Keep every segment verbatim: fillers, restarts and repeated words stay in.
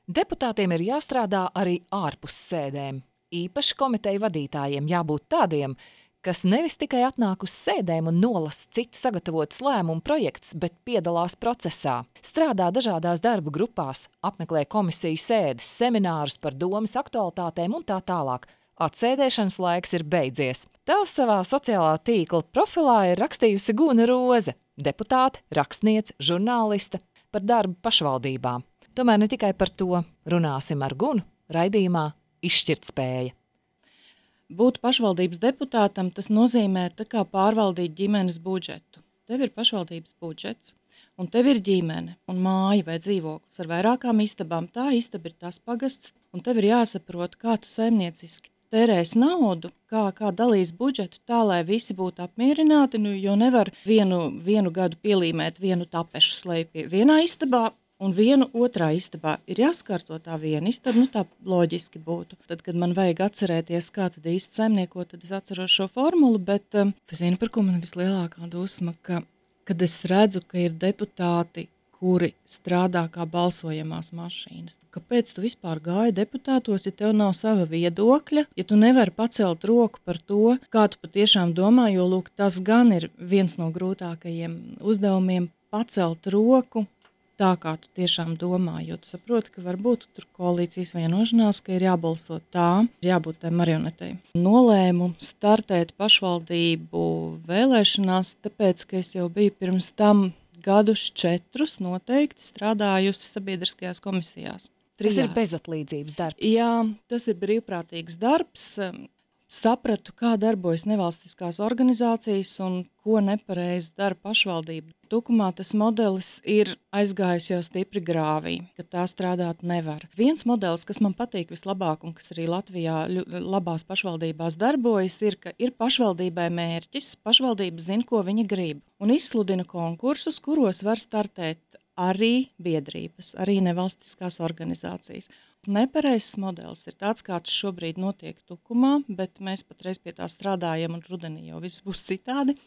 Deputātiem ir jāstrādā arī ārpus sēdēm. Īpaši komiteju vadītājiem jābūt tādiem, kas nevis tikai atnāk uz sēdēm un nolasa citu sagatavotus lēmumu projektus, bet piedalās procesā. Strādā dažādās darba grupās, apmeklē komisiju sēdes, seminārus par domas aktualitātēm un tā tālāk. Atsēdēšanas laiks ir beidzies. Tā savā sociālā tīkla profilā ir rakstījusi Guna Roze, deputāte, rakstniece, žurnāliste par darbu pašvaldībā. Tomēr ne tikai par to runāsim ar Gunu raidījumā Izšķirtspēja. Būt pašvaldības deputātam, tas nozīmē tā kā pārvaldīt ģimenes budžetu. Tev ir pašvaldības budžets, un tev ir ģimene, un māja vai dzīvoklis ar vairākām istabām. Tā istaba ir tas pagasts, un tev ir jāsaprot, kā tu saimnieciski tērēs naudu, kā, kā dalīs budžetu tā, lai visi būtu apmierināti, nu, jo nevar vienu, vienu gadu pielīmēt vienu tapešu slēpju vienā istabā, un vienu otrā istabā. Ir jāskārto tā viena istaba, nu tā loģiski būtu. Tad, kad man vajag atcerēties, kā tad īsti saimniekot, tad es atceros šo formulu, bet um, es zinu, par ko man vislielākā dusma, ka, kad es redzu, ka ir deputāti, kuri strādā kā balsojamās mašīnas. Kāpēc tu vispār gāji deputātos, ja tev nav sava viedokļa, ja tu nevari pacelt roku par to, kā tu patiešām domā, jo, lūk, tas gan ir viens no grūtākajiem uzdevumiem pacelt roku, tā kā tu tiešām domā, jo tu saproti, ka varbūt tur koalīcijas vienošanās, ka ir jābalso tā, ir jābūt tai marionetei. Nolēmu startēt pašvaldību vēlēšanās, tāpēc, ka es jau biju pirms tam gadus četrus noteikti strādājusi sabiedriskajās komisijās. Trijās. Tas ir bezatlīdzības darbs. Jā, tas ir brīvprātīgs darbs. Sapratu, kā darbojas nevalstiskās organizācijas un ko nepareizi dara pašvaldība. Tukumā tas modelis ir aizgājis jau stipri grāvī, ka tā strādāt nevar. Viens modelis, kas man patīk vislabāk un kas arī Latvijā labās pašvaldībās darbojas, ir, ka ir pašvaldībai mērķis, pašvaldība zina, ko viņa grib, un izsludina konkursus, kuros var startēt arī biedrības, arī nevalstiskās organizācijas. Nepareizs modelis ir tāds, kāds šobrīd notiek Tukumā, bet mēs patreiz pie tā strādājam un rudenī jau viss būs citādi.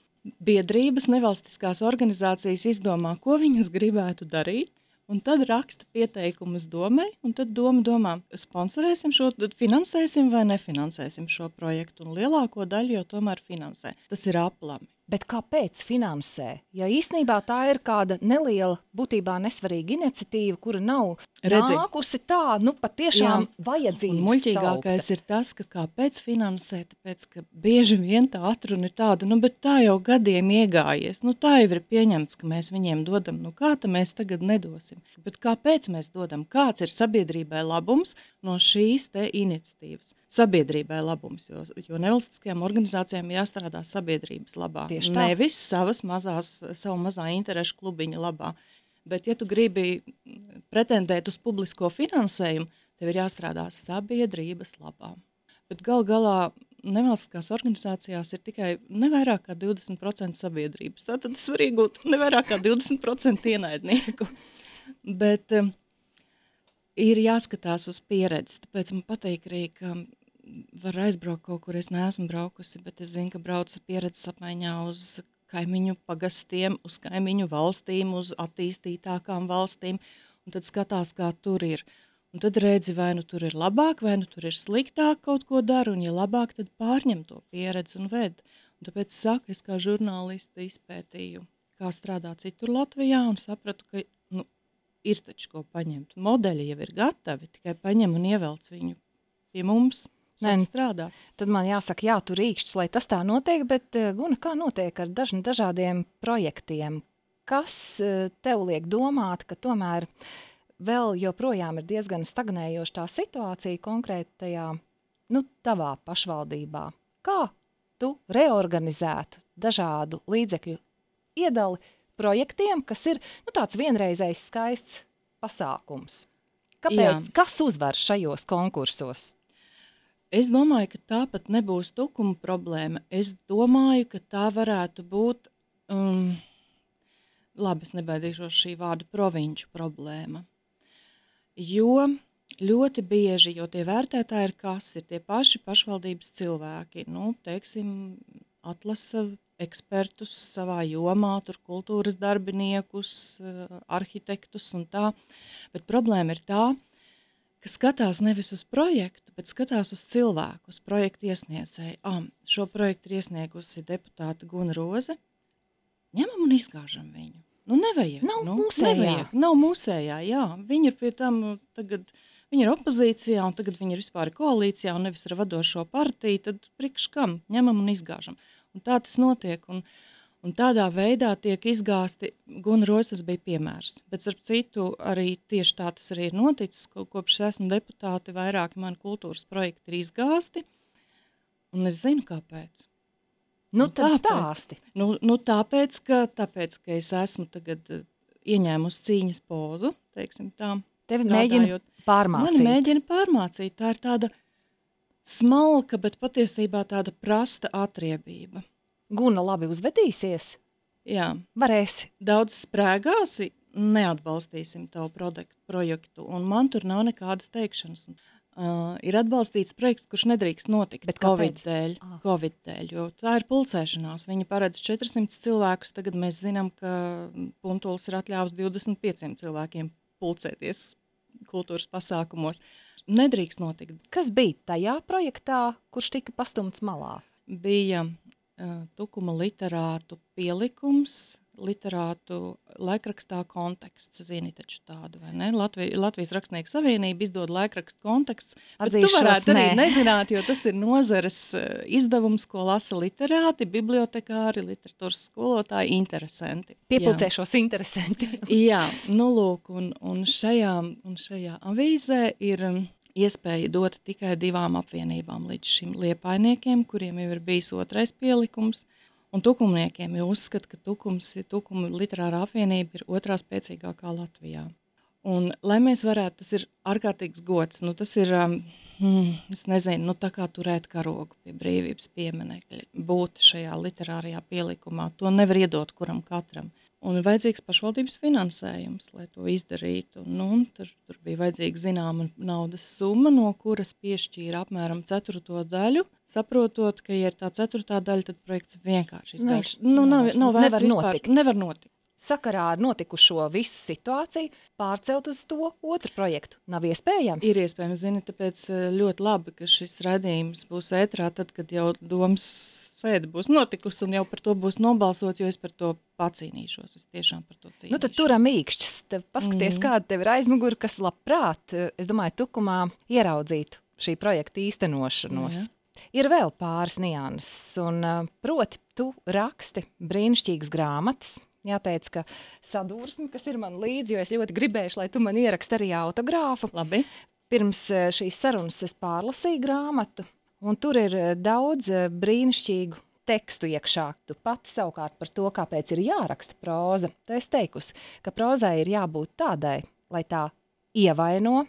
Biedrības, nevalstiskās organizācijas izdomā, ko viņas gribētu darīt, un tad raksta pieteikumus domai, un tad doma domā, sponsorēsim šo, finansēsim vai nefinansēsim šo projektu, un lielāko daļu jau tomēr finansē. Tas ir aplami. Bet kāpēc finansē? Ja īstenībā tā ir kāda neliela, būtībā nesvarīga iniciatīva, kura nav Redzi. nākusi tā, nu patiešām Jā. vajadzības Un muļķīgākais saukta. ir tas, ka kāpēc finansē, tāpēc, ka bieži vien tā atruna ir tāda, nu bet tā jau gadiem iegājies, nu tā jau ir pieņemts, ka mēs viņiem dodam, nu kā tā mēs tagad nedosim. Bet kāpēc mēs dodam? Kāds ir sabiedrībai labums no šīs te iniciatīvas? Sabiedrībai labums, jo, jo nevalstiskajām organizācijām jāstrādā sabiedrības labā. Tieši tā. Nevis savas mazās, savu mazā interešu klubiņa labā. Bet, ja tu gribi pretendēt uz publisko finansējumu, tev ir jāstrādā sabiedrības labā. Bet gal galā nevalstiskās organizācijās ir tikai nevairāk kā divdesmit procenti sabiedrības. Tātad es varu iegūt nevairāk kā divdesmit procenti ienaidnieku. Bet um, ir jāskatās uz pieredzi, tāpēc man patīk arī, ka var aizbraukt kaut kur, es neesmu braukusi, bet es zinu, ka braucu pieredzes apmaiņā uz kaimiņu pagastiem, uz kaimiņu valstīm, uz attīstītākām valstīm, un tad skatās, kā tur ir. Un tad redzi, vai nu tur ir labāk, vai nu tur ir sliktāk kaut ko dara, un ja labāk, tad pārņem to pieredzi un ved. Un tāpēc saku, es kā žurnāliste izpētīju, kā strādā citur Latvijā, un sapratu, ka nu, ir taču ko paņemt. Modeļi jau ir gatavi, tikai paņem un ievelc viņu pie mums. Nē, strādā. Tad man jāsaka, jā, tur rīkšķis, lai tas tā notiek, bet Guna, kā notiek ar daž, dažādiem projektiem? Kas tev liek domāt, ka tomēr vēl joprojām ir diezgan stagnējoša tā situācija konkrētajā, nu, tavā pašvaldībā? Kā tu reorganizētu dažādu līdzekļu iedali projektiem, kas ir, nu, tāds vienreizējs skaists pasākums? Kāpēc? Jā. Kas uzvar šajos konkursos? Es domāju, ka tā pat nebūs Tukuma problēma. Es domāju, ka tā varētu būt, um, labi, es nebaidīšos šī vārda, provinču problēma. Jo ļoti bieži, jo tie vērtētāji ir kas, ir tie paši pašvaldības cilvēki, nu, teiksim, atlasa ekspertus savā jomā, tur kultūras darbiniekus, arhitektus un tā. Bet problēma ir tā, ka skatās nevis uz projektu, bet skatās uz cilvēku, uz projektu iesniedzēju. Ah, šo projektu ir iesniegusi deputāta Guna Roze. Ņemam un izgāžam viņu. Nu, nevajag. Nav nu, mūsējā. Nevajag. Nav mūsējā, jā. Viņi ir pie tam tagad, viņi ir opozīcijā, un tagad viņi ir vispār koalīcijā, un nevis ar vadošo partiju, tad priekš kam? Ņemam un izgāžam. Un tā tas notiek, un, un tādā veidā tiek izgāsti, Guna Roze tas bija piemērs. Bet ar citu arī tieši tā tas arī ir noticis, ko, kopš esmu deputāti, vairāki mani kultūras projekti ir izgāsti, un es zinu, kāpēc. Nu, Nu, tad tāpēc. stāsti. Nu, nu tāpēc, ka, tāpēc, ka es esmu tagad uh, ieņēmusi cīņas pozu, teiksim tā. Tevi strādājot. mēģina pārmācīt. Mani mēģina pārmācīt. Tā ir tāda smalka, bet patiesībā tāda prasta atriebība. Guna labi uzvedīsies? Jā, Varēsi. daudz sprēgāsi, neatbalstīsim tavu produktu, projektu, un man tur nav nekādas teikšanas. Uh, ir atbalstīts projekts, kurš nedrīkst notikt Bet Covid kāpēc? dēļ, Ah. Covid dēļ, jo tā ir pulcēšanās. Viņa paredz četrsimt cilvēkus, tagad mēs zinām, ka Puntuls ir atļāvis divdesmit pieciem cilvēkiem pulcēties kultūras pasākumos. Nedrīkst notikt. Kas bija tajā projektā, kurš tika pastumts malā? Bija uh, Tukuma literātu pielikums, literātu laikrakstā Konteksts, zini taču tādu, vai ne? Latvij, Latvijas Rakstnieku savienība izdod laikrakstu Konteksts, bet tu Atzīšos, varētu arī nē. nezināt, jo tas ir nozares uh, izdevums, ko lasa literāti, bibliotekāri, literatūras skolotāji, interesanti. Piepulcēšos interesanti. Jā, nu lūk, un, un, šajā, un šajā avīzē ir um, iespēja dot tikai divām apvienībām līdz šim liepainiekiem, kuriem jau ir bijis otrais pielikums, un tukumniekiem, jo uzskata, ka tukums, Tukuma literārā apvienība ir otrā spēcīgākā Latvijā. Un, lai mēs varētu, tas ir ārkārtīgs gods, nu tas ir, um, hmm, es nezinu, nu tā kā turēt karogu pie brīvības pieminekļa, būt šajā literārajā pielikumā, to nevar iedot kuram katram. Un ir vajadzīgs pašvaldības finansējums, lai to izdarītu. Nu, un tur, tur bija vajadzīga zināma naudas summa, no kuras piešķīra apmēram ceturto daļu, saprotot, ka, ja ir tā ceturtā daļa, tad projekts vienkārši izgāž. Nu, nav, nav vērts Nevar vispār. notikt. Nevar notikt. Sakarā ar notikušo visu situāciju pārcelt uz to otru projektu. Nav iespējams. Ir iespējams, zini, tāpēc eh, ļoti labi, ka šis raidījums būs ētrā tad, kad jau domas sēde būs notikusi un jau par to būs nobalsots, jo es par to pacīnīšos. Es tiešām par to cīnīšos. Nu, tad turam īkšķis. Tev paskaties, Mhm. kāda tev ir aizmuguri, kas labprāt, es domāju, Tukumā ieraudzītu šī projekta īstenošanos. Ir vēl pāris nianses, un uh, proti tu raksti brīnišķīgas grāmatas. Jāteic, ka sadursmi, kas ir man līdzi, jo es ļoti gribējuši, lai tu man ieraksti arī autogrāfu. Labi. Pirms uh, šīs sarunas es pārlasīju grāmatu, un tur ir uh, daudz uh, brīnišķīgu tekstu iekšā. Tu pati savukārt par to, kāpēc ir jāraksta próza. Tu esi teikusi, ka prózai ir jābūt tādai, lai tā ievaino,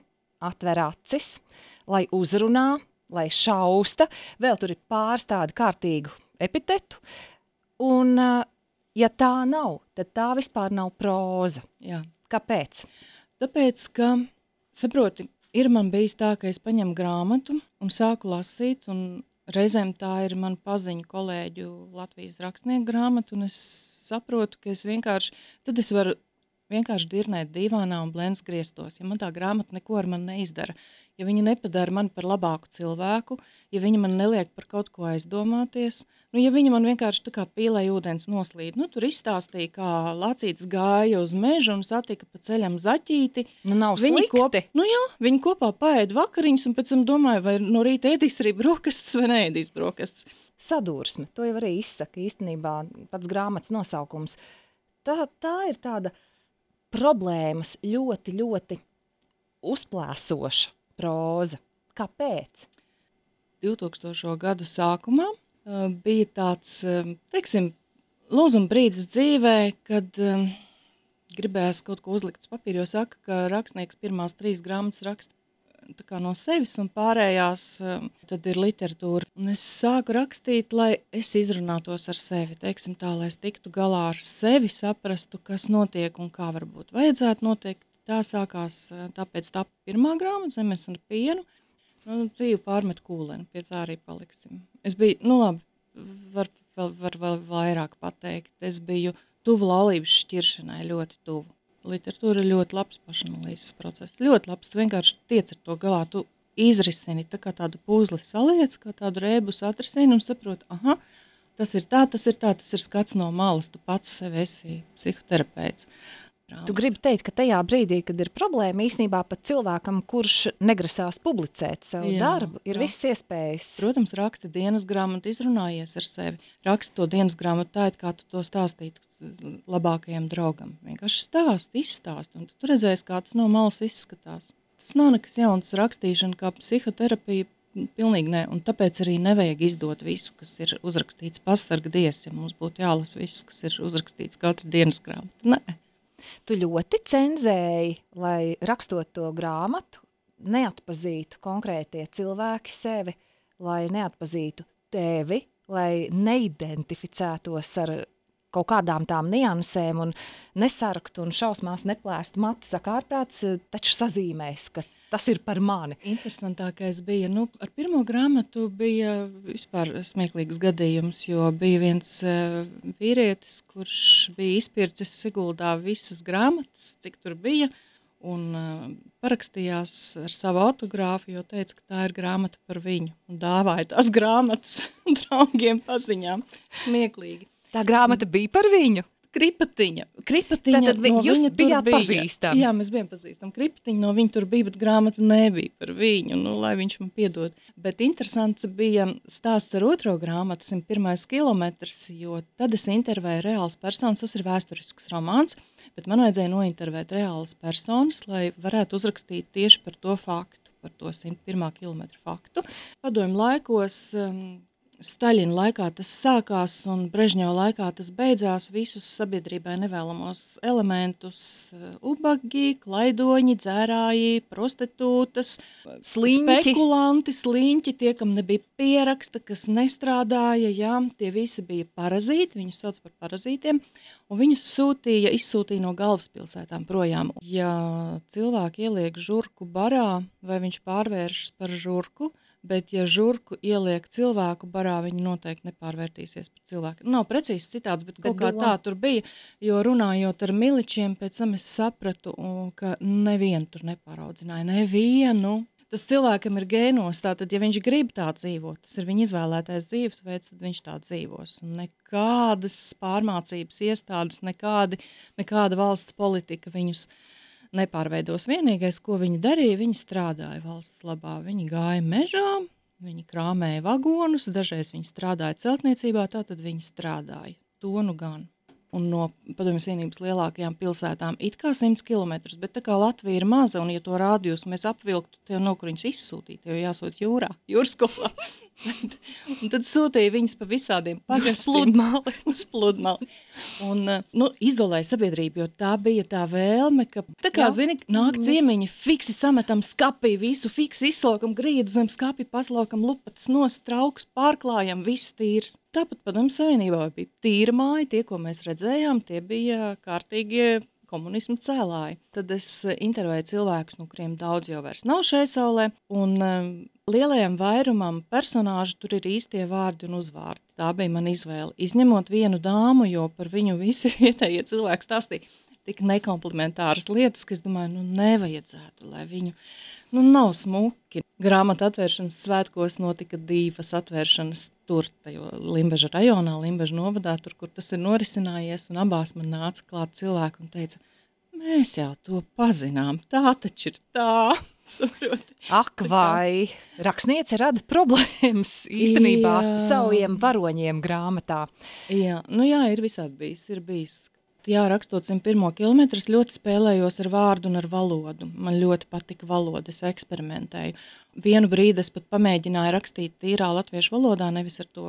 atver acis, lai uzrunā, lai šausta. Vēl tur ir pāris tādu kārtīgu epitetu. Un, uh, ja tā nav, tad tā vispār nav próza. Jā. Kāpēc? Tāpēc, ka, saproti, ir man bijis tā, ka es paņemu grāmatu un sāku lasīt, un reizēm tā ir man paziņu kolēģu Latvijas rakstnieku grāmata, un es saprotu, ka es vienkārši, tad es varu vienkārši dirnēt divānā un blends griestos, ja man tā grāmata neko ar mani neizdara, ja viņa nepadara mani par labāku cilvēku, ja viņa man neliek par kaut ko aizdomāties, nu, ja viņa man vienkārši tā kā pīlai ūdens noslīd, nu, tur izstāstīja, kā lācītis gāja uz mežu un satika pa ceļam zaķīti. Nu, nav Viņi slikti. Kop, nu jā, viņi kopā paēd vakariņus un pēc tam domāja, vai no rīta ēdīs arī brokastis vai neēdīs brokastis. Sadursme, to jau arī izsaka īstenībā pats grāmatas nosaukums. Tā, tā ir tāda problēmas ļoti, ļoti uzplēsoša próza. Kāpēc? divtūkstošo gadu sākumā uh, bija tāds, uh, teiksim, lūzuma brīdis dzīvē, kad uh, gribējās kaut ko uzlikt uz papīra, jo saka, ka rakstnieks pirmās trīs grāmatas raksta tā kā no sevis un pārējās uh, tad ir literatūra. Un es sāku rakstīt, lai es izrunātos ar sevi, teiksim tā, lai es tiktu galā ar sevi, saprastu, kas notiek un kā varbūt vajadzētu notiek. Tā sākās, tāpēc tā pirmā grāmata, Zemes un pienu, nu, dzīvi pārmet kūleni, pie tā arī paliksim. Es biju, nu labi, var, var, var vēl vairāk pateikt, es biju tuvu laulības šķiršanai, ļoti tuvu. literatūra ir ļoti labs pašanalīzes process. Ļoti labs, tu vienkārši tiec ar to galā, tu izrisini tā kā tādu puzli saliec, kā tādu rēbus atrisini un saproti, aha, tas ir tā, tas ir tā, tas ir skats no malas, tu pats sevi esi psihoterapeits. Tu gribi teikt, ka tajā brīdī, kad ir problēma, īsnībā pat cilvēkam, kurš negrasās publicēt savu jā, darbu, ir jā. Visas iespējas. Protams, raksti dienas grāmatu, izrunājies ar sevi. Raksti to dienas grāmatu tā, kā tu to stāstītu labākajam draugam. Vienkārši stāst, izstāst, un tu redzēsi, kā tas no malas izskatās. Tas nav nekas jauns rakstīšana, kā psihoterapija, pilnīgi ne, un tāpēc arī nevajag izdot visu, kas ir uzrakstīts pasarga dievs, ja mums būtu jālas viss, kas ir uzrakstīts katru dienas grāmatu. Nē. Tu ļoti cenzēji, lai rakstot to grāmatu, neatpazītu konkrētie cilvēki sevi, lai neatpazītu tevi, lai neidentificētos ar kaut kādām tām niansēm un nesarktu un šausmās neplēstu matu. Saka, ārprāts taču sazīmēs, ka tas ir par mani. Interesantākais bija, nu, ar pirmo grāmatu bija vispār smieklīgs gadījums, jo bija viens uh, vīrietis, kurš bija izpircis Siguldā visas grāmatas, cik tur bija, un uh, parakstījās ar savu autogrāfu, jo teica, ka tā ir grāmata par viņu, un dāvāja tās grāmatas draugiem paziņām. Smieklīgi. Tā grāmata bija par viņu? Kripatiņa. Kripatiņa Tātad vi, no jūs viņa bijāt bija. pazīstami? Jā, mēs bijām pazīstami. Kripatiņa no viņa tur bija, bet grāmata nebija par viņu, nu, lai viņš man piedod. Bet interesants bija stāsts ar otro grāmatu, simt pirmais kilometrs, jo tad es intervēju reāls personas, tas ir vēsturisks romāns, bet man vajadzēja nointervēt reālas personas, lai varētu uzrakstīt tieši par to faktu, par to simt pirmā kilometra faktu. Padomju laikos... Um, Staļina laikā tas sākās un Brežņeva laikā tas beidzās, visus sabiedrībai nevēlamos elementus, ubagi, klaidoņi, dzērāji, prostitūtas, sliņķi. Spekulanti, sliņķi, tie, kam nebija pieraksta, kas nestrādāja, jā, tie visi bija parazīti, viņus sauc par parazītiem, un viņus sūtīja, izsūtīja no galvaspilsētām projām. Ja cilvēki ieliek žurku barā, vai viņš pārvēršas par žurku, bet ja žurku ieliek cilvēku barā, viņi noteikti nepārvērtīsies par cilvēku. Nav precīzi citāds, bet kaut kā tā tur bija, jo runājot ar miličiem, pēc tam es sapratu, ka nevienu tur nepāraudzināja, nevienu. Tas cilvēkam ir gēnos, tātad, ja viņš grib tā dzīvot, tas ir viņa izvēlētais dzīvesveids, tad viņš tā dzīvos. Un nekādas pārmācības iestādes, nekādi, nekāda valsts politika viņus nepārveidos. Vienīgais, ko viņi darīja, viņi strādāja valsts labā. Viņi gāja mežā, viņi krāmēja vagonus, dažreiz viņi strādāja celtniecībā, tātad viņi strādāja. To nu gan. Un no Padomju Savienības lielākajām pilsētām it kā simts kilometrus, bet tā kā Latvija ir maza, un ja to rādījus mēs apvilktu, tev no kur viņus izsūtīt, tev jāsūt jūrā, jūrskolā. Un tad sūtīja viņus pa visādiem pagastiem. Uz pludmali. Un, nu, izolēja sabiedrību, jo tā bija tā vēlme, ka, tā kā, Jā. zini, nāk ciemiņi, fiksi sametam skapī, visu fiksi izslaukam grīdu zem skapi, paslaukam lupatas nost, trauks, pārklājam, viss tīrs. Tāpat Padomju Savienībā bija tīra māja, tie, ko mēs redzējām, tie bija kārtīgie komunismu cēlāji. Tad es intervēju cilvēkus, no kuriem daudz jau vairs nav šai saulē, un um, lielajam vairumam personāžu tur ir īstie vārdi un uzvārdi. Tā bija man izvēle. Izņemot vienu dāmu, jo par viņu visi vietējie cilvēki stāstīja tik nekomplimentāras lietas, ka es domāju, nu nevajadzētu, lai viņu, nu nav smuki. Grāmatu atvēršanas svētkos notika divas atvēršanas tur, tajo Limbaža rajonā, Limbaža novadā, tur, kur tas ir norisinājies, un abās man nāca klāt cilvēki un teica, mēs jau to pazinām, tā taču ir tā. Ak, vai rakstniece rada problēmas īstenībā Jā. saviem varoņiem grāmatā. Jā, nu jā, ir visādi bijis, ir bijis. Jā, rakstot simt pirmo kilometru, es ļoti spēlējos ar vārdu un ar valodu. Man ļoti patika valoda, es eksperimentēju. Vienu brīdi es pat pamēģināju rakstīt tīrā latviešu valodā, nevis ar to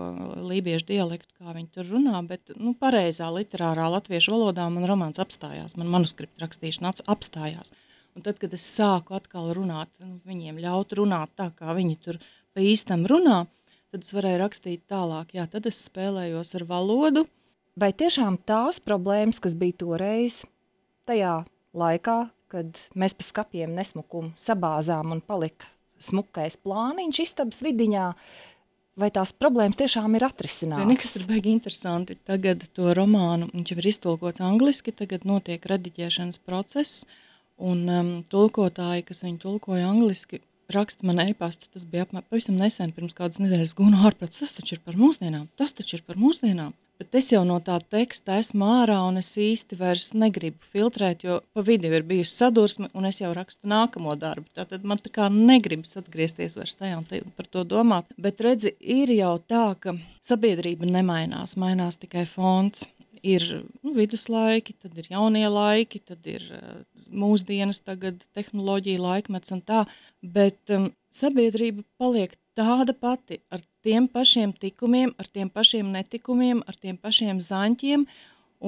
lībiešu dialektu, kā viņi tur runā, bet nu, pareizā literārā latviešu valodā man romāns apstājās, man manuskripta rakstīšana apstājās. Un tad, kad es sāku atkal runāt, nu, viņiem ļaut runāt tā, kā viņi tur pa īstam runā, tad es varēju rakstīt tālāk. Jā, tad es spēlējos ar valodu. Vai tiešām tās problēmas, kas bija toreiz, tajā laikā, kad mēs pa skapiem nesmukumu sabāzām un palika smukais plāniņš istabas vidiņā, vai tās problēmas tiešām ir atrisinātas? Zini, kas ir baigi interesanti. Tagad to romānu, viņš jau ir iztulkots angliski, tagad notiek rediģēšanas process, un um, tulkotāji, kas viņu tulkoja angliski, raksta man e-pastu, tas bija apmēram pavisam nesen, pirms kādas nedēļas, Guna ārprāts, tas taču ir par mūsdienām, tas taču ir par mūsdienām. Bet es jau no tā teksta esmu ārā, un es īsti vairs negribu filtrēt, jo pa vidu ir bijusi sadursme, un es jau rakstu nākamo darbu. Tātad man tā kā negribas atgriezties vairs tajā un te, par to domāt. Bet redzi, ir jau tā, ka sabiedrība nemainās, mainās tikai fonts. Ir nu, viduslaiki, tad ir jaunie laiki, tad ir uh, mūsdienas, tagad tehnoloģija laikmets un tā, bet um, sabiedrība paliek tāda pati ar tiem pašiem tikumiem, ar tiem pašiem netikumiem, ar tiem pašiem zaņķiem,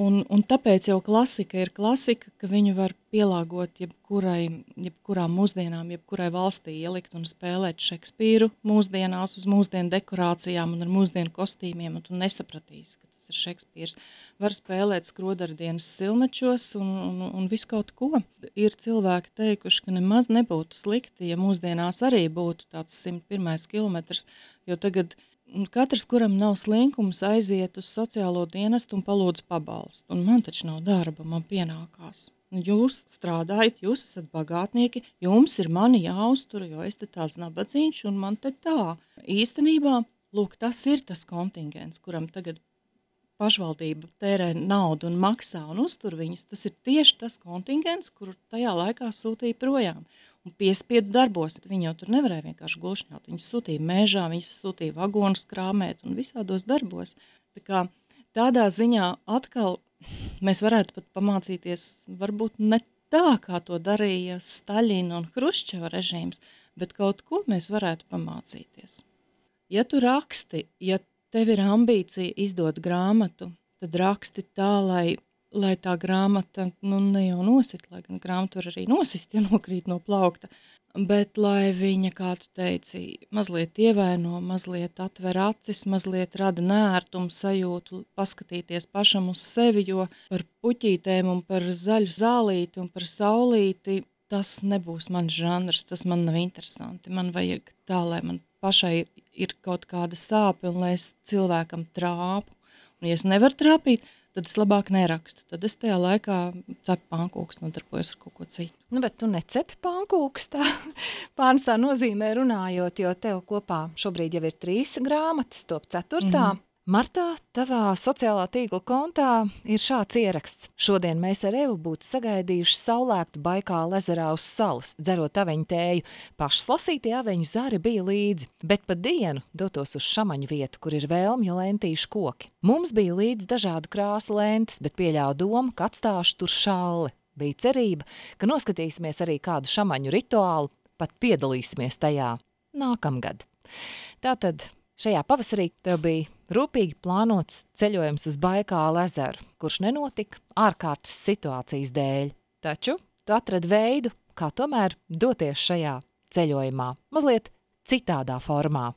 un, un tāpēc jau klasika ir klasika, ka viņu var pielāgot jebkurai, jebkurām mūsdienām, jebkurai valstī ielikt un spēlēt Šekspīru mūsdienās uz mūsdienu dekorācijām un ar mūsdienu kostīmiem, un tu nesapratīsi, ka tas ir Šekspīrs. Var spēlēt skrodardienas silmečos un, un, un visu kaut ko. Ir cilvēki teikuši, ka nemaz nebūtu slikti, ja mūsdienās arī būtu tāds simt pirmais kilometrs, jo tagad katrs, kuram nav slinkums, aiziet uz sociālo dienestu un palūdz pabalstu. Un man taču nav darba, man pienākās. Jūs strādājat, jūs esat bagātnieki, jums ir mani jāuztur, jo es te tāds nabadzīņš un man te tā. Īstenībā, lūk, tas ir tas kontingents, kuram tagad pašvaldība tērē naudu un maksā un uztur viņus, tas ir tieši tas kontingents, kuru tajā laikā sūtīja projām. Un piespiedu darbos, viņi jau tur nevarēja vienkārši glušņāt, viņus sūtīja mežā, viņus sūtīja vagonus krāmēt un visādos darbos. Tā kā tādā ziņā atkal mēs varētu pat pamācīties, varbūt ne tā, kā to darīja Staļina un Hruščeva režīms, bet kaut ko mēs varētu pamācīties. Ja tu raksti, ja tev ir ambīcija izdot grāmatu, tad raksti tā, lai, lai tā grāmata nu, ne jau nosit, lai gan grāmatu var arī nosist, ja nokrīt no plaukta, bet lai viņa, kā tu teici, mazliet ievaino, mazliet atver acis, mazliet rada nērtumu sajūtu, paskatīties pašam uz sevi, jo par puķītēm un par zaļu zālīti un par saulīti tas nebūs mans žanrs, tas man nav interesanti. Man vajag tā, lai man pašai ir kaut kāda sāpe un lai es cilvēkam trāpu. Un ja es nevaru trāpīt, tad es labāk nerakstu. Tad es tajā laikā cepu pankūks, nodarbojos ar kaut ko citu. Nu, bet tu necepi pankūks tā, pārnes tā nozīmē runājot, jo tev kopā šobrīd jau ir trīs grāmatas, top ceturtā. Mm-hmm. Martā, tavā sociālā tīkla kontā ir šāds ieraksts. Šodien mēs ar Evu būtu sagaidījuši saulēktu Baikāla ezerā uz salas, dzerot aveņu tēju. Pašas lasītie aveņu zari bija līdzi, bet pa dienu dotos uz šamaņu vietu, kur ir vēlmju lentīšu koki. Mums bija līdz dažādu krāsu lentes, bet pieļāvu domu, ka atstāšu tur šalli. Bija cerība, ka noskatīsimies arī kādu šamaņu rituālu, pat piedalīsimies tajā nākamgad. Tātad šajā pavasarī tev bija rūpīgi plānots ceļojums uz Baikāla ezeru, kurš nenotika ārkārtas situācijas dēļ. Taču tu atradi veidu, kā tomēr doties šajā ceļojumā, mazliet citādā formā.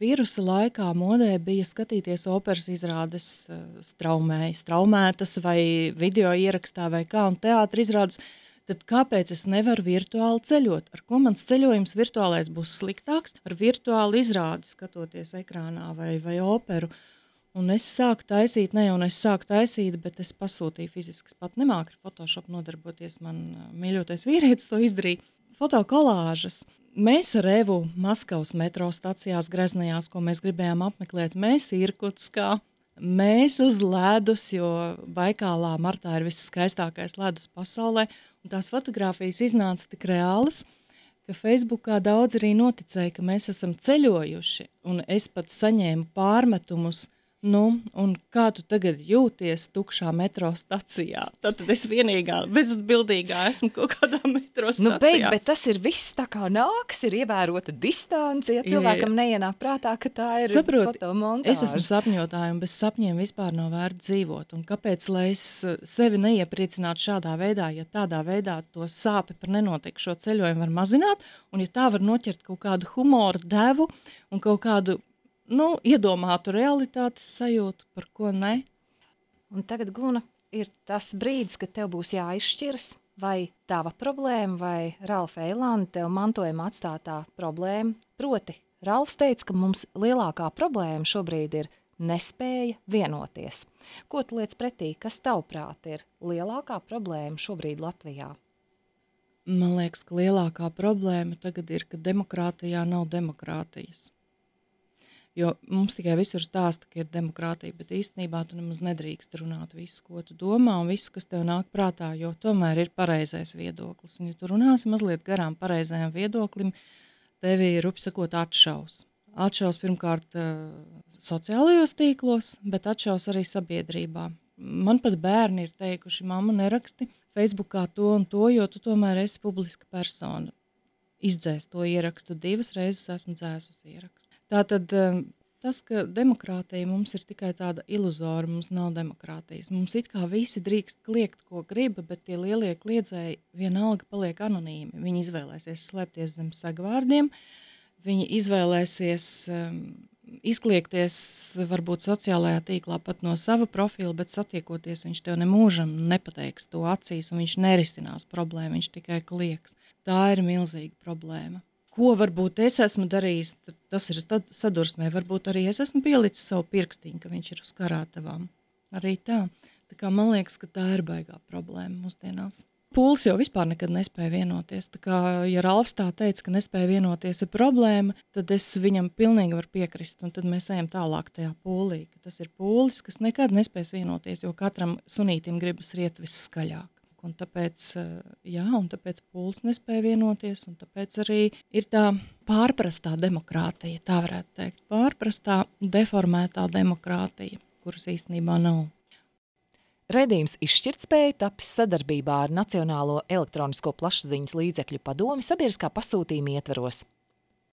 Vīrusa laikā modē bija skatīties operas izrādes straumē, straumētas vai video ierakstā vai kā, un teātra izrādes. Tad kāpēc es nevaru virtuāli ceļot? Ar ko mans ceļojums virtuālais būs sliktāks? Ar virtuāli izrādi skatoties ekrānā vai, vai operu. Un es sāku taisīt, ne jau es sāku taisīt, bet es pasūtīju fiziski. Es pat nemāku ar Photoshop nodarboties, man mīļotais vīrietis to izdarīja. Fotokolāžas. Mēs ar Evu Maskavas metro stacijās Greznajās, ko mēs gribējām apmeklēt, mēs Irkutskā. Mēs uz ledus, jo Baikālā martā ir viss skaistākais ledus pasaulē, un tās fotogrāfijas iznāca tik reālas, ka Facebookā daudz arī noticēja, ka mēs esam ceļojuši, un es pat saņēmu pārmetumus, nu, un kā tu tagad jūties tukšā metro stacijā? Tad es vienīgā, bezatbildīgā esmu kaut kādā metro stacijā. Nu, beidz, bet tas ir viss tā kā nāks, ir ievērota distance, ja cilvēkam jā, jā. neienāk prātā, ka tā ir Saproti, fotomontāža. Es esmu sapņotāja, un bez sapņiem vispār nav vērts dzīvot, un kāpēc, lai es sevi neiepriecinātu šādā veidā, ja tādā veidā to sāpi par nenotiekšo ceļojumu var mazināt, un ja tā var noķert kaut kādu humoru devu un kaut kādu nu, iedomātu realitātes sajūtu, par ko ne. Un tagad, Guna, ir tas brīdis, kad tev būs jāizšķiras, vai tava problēma, vai Ralfa Eilanda tev mantojuma atstātā problēma, proti Ralfs teica, ka mums lielākā problēma šobrīd ir nespēja vienoties. Ko tu liec pretī, kas tavuprāt ir lielākā problēma šobrīd Latvijā? Man liekas, ka lielākā problēma tagad ir, ka demokrātijā nav demokrātijas. Jo mums tikai visur stāsta, ka ir demokrātija, bet īstenībā tu nemaz nedrīkst runāt visu, ko tu domā un visu, kas tev nāk prātā, jo tomēr ir pareizais viedoklis. Un ja tu runāsi mazliet garām pareizajam viedoklim, tevi ir, rupi sakot, atšaus. Atšaus pirmkārt sociālajos tīklos, bet atšaus arī sabiedrībā. Man pat bērni ir teikuši, mamma neraksti Facebookā to un to, jo tu tomēr esi publiska persona. Izdzēs to ierakstu, divas reizes esmu dzēsusi ierakstu. Tātad tas, ka demokrātija mums ir tikai tāda iluzora, mums nav demokrātijas. Mums it kā visi drīkst kliegt, ko grib, bet tie lielie kliedzēji vienalga paliek anonīmi. Viņi izvēlēsies slēpties zem sagvārdiem, viņi izvēlēsies um, izkliegties varbūt sociālajā tīklā pat no sava profila, bet satiekoties viņš tev nemūžam nepateiks to acīs un viņš nerisinās problēmu, viņš tikai kliegs. Tā ir milzīga problēma. Ko varbūt es esmu darījis, tas ir sadursmē, varbūt arī es esmu pielicis savu pirkstiņu, ka viņš ir uz karātavām. Arī tā. Tā kā man liekas, ka tā ir baigā problēma mūsdienās. Pūlis jau vispār nekad nespēja vienoties. Tā kā, ja Ralfs tā teica, ka nespēja vienoties ir problēma, tad es viņam pilnīgi varu piekrist, un tad mēs ejam tālāk tajā pūlī. Ka tas ir pūlis, kas nekad nespēs vienoties, jo katram sunītim gribas riet visskaļāk. Un tāpēc, jā, un tāpēc Pūlis nespēja vienoties, un tāpēc arī ir tā pārprastā demokrātija, tā varētu teikt, pārprastā deformētā demokrātija, kuras īstenībā nav. Redījums Izšķirtspēja tapis sadarbībā ar Nacionālo elektronisko plašsaziņas līdzekļu padomi sabiedriskā pasūtījuma ietveros.